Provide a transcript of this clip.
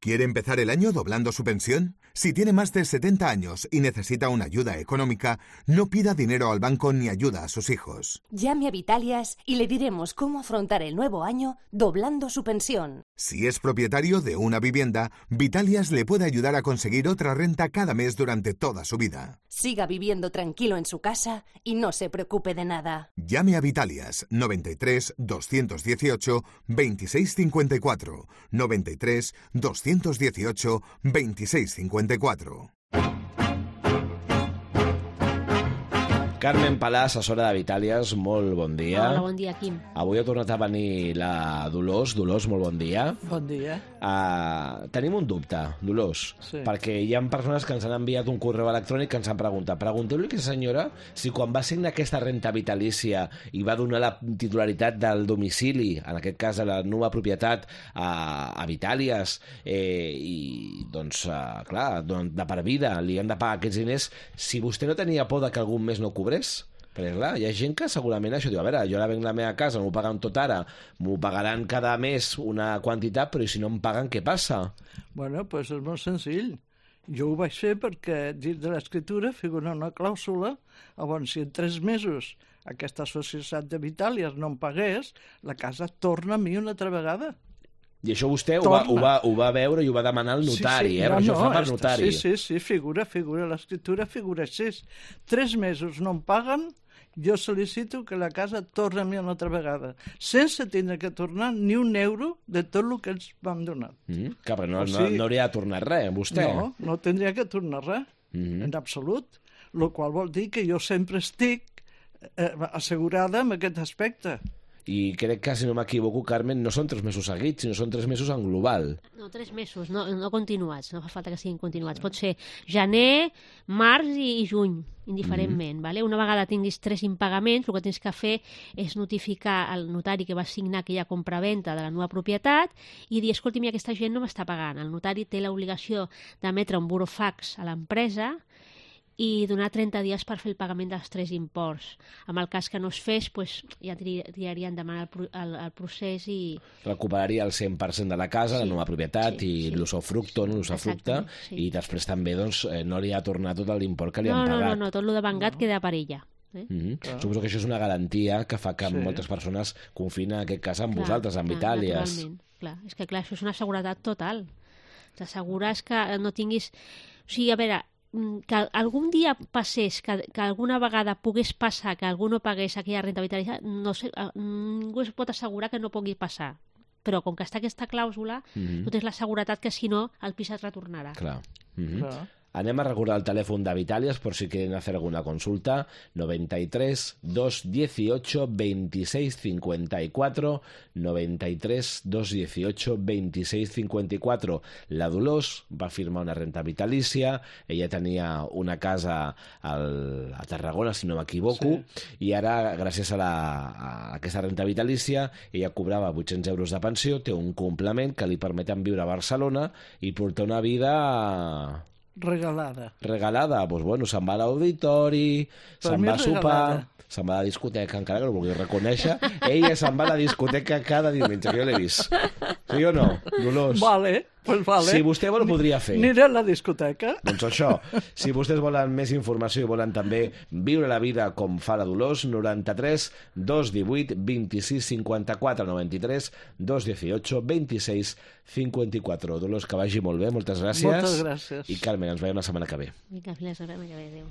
¿Quiere empezar el año doblando su pensión? Si tiene más de 70 años y necesita una ayuda económica, no pida dinero al banco ni ayuda a sus hijos. Llame a Vitalias y le diremos cómo afrontar el nuevo año doblando su pensión. Si es propietario de una vivienda, Vitalias le puede ayudar a conseguir otra renta cada mes durante toda su vida. Siga viviendo tranquilo en su casa y no se preocupe de nada. Llame a Vitalias 93 218 2654 93 218 2654. Carmen Palà, assessora de Vitàlies, molt bon dia. Hola, bon dia, Quim. Avui ha tornat a venir la Dolors. Dolors, molt bon dia. Bon dia. Tenim un dubte, Dolors, perquè hi ha persones que ens han enviat un correu electrònic que ens han preguntat. Pregunteu-li a aquesta senyora si quan va signar aquesta renta vitalícia i va donar la titularitat del domicili, en aquest cas de la nova propietat, a Vitàlies, i doncs, clar, de per vida li han de pagar aquests diners, si vostè no tenia por de que algun mes no cobrés. Perquè clar, hi ha gent que segurament això diu, a veure, jo ara venc la meva casa, m'ho paguen tot ara, m'ho pagaran cada mes una quantitat, però si no em paguen, què passa? Bueno, doncs és molt senzill. Jo ho vaig fer perquè dins de l'escriptura figura una clàusula, llavors si en 3 mesos aquesta societat de Vitàlies no em pagués, la casa torna a mi una altra vegada. I això vostè ho va veure i ho va demanar al notari, per això fa per notari. Sí, figura l'escriptura, figura així. 3 mesos no em paguen, jo sol·licito que la casa torni a mi una altra vegada, sense tindre que tornar ni un euro de tot el que ens vam donar. Clar, però no hauria de tornar res, vostè. No tindria que tornar res, en absolut. El qual vol dir que jo sempre estic assegurada en aquest aspecte. I crec que, si no m'equivoco, Carmen, no són 3 mesos seguits, sinó són 3 mesos en global. No, 3 mesos, no continuats, no fa falta que siguin continuats. Pot ser gener, març i juny, indiferentment. Vale? Una vegada tinguis 3 impagaments, el que tens que fer és notificar al notari que va signar aquella compraventa de la nova propietat i dir, escolti, aquesta gent no m'està pagant. El notari té l'obligació d'emetre un burofax a l'empresa i donar 30 dies per fer el pagament dels 3 imports. En el cas que no es fes, ja triaria endavant el procés i... Recuperaria el 100% de la casa, la nova propietat i l'usufructe, i després també no li ha tornat tot l'import que li han pagat. No, tot el de vengat queda per ella. Suposo que això és una garantia que fa que moltes persones confien en aquest cas amb vosaltres, amb Vitàlies. Naturalment, és que això és una seguretat total. T'assegures que no tinguis... O sigui, a veure, que algun dia passés, que alguna vegada pogués passar que algú no pagués aquella renta vitalícia, no sé, ningú es pot assegurar que no pugui passar. Però com que està aquesta clàusula, tu tens la seguretat que si no el pis es retornarà. Clar. Anem a recordar el telèfon de Vitàlies por si quieren hacer alguna consulta. 93 218 26 54 93 218 26 54. La Dolors va firmar una renta vitalícia. Ella tenia una casa a Tarragona, si no m'equivoco, i ara, gràcies a aquesta renta vitalícia, ella cobrava 800 euros de pensió, té un complement que li permeten viure a Barcelona i portar una vida... Regalada. Doncs bueno, se'n va a l'auditori, se'n va a sopar, se'n va a la discoteca, encara que no vulgui reconèixer. Ella se'n va a la discoteca cada diumenge, que jo l'he vist. Sí o no, Dolors? Vale. Si vostè vol, ho podria fer. Aniré a la discoteca. Doncs això, si vostès volen més informació i volen també viure la vida com fa la Dolors, 93 218 26 54 93 218 26 54. Dolors, que vagi molt bé, moltes gràcies. Moltes gràcies. I Carmen, ens veiem la setmana que ve. Vinga, fins la setmana que ve, adéu.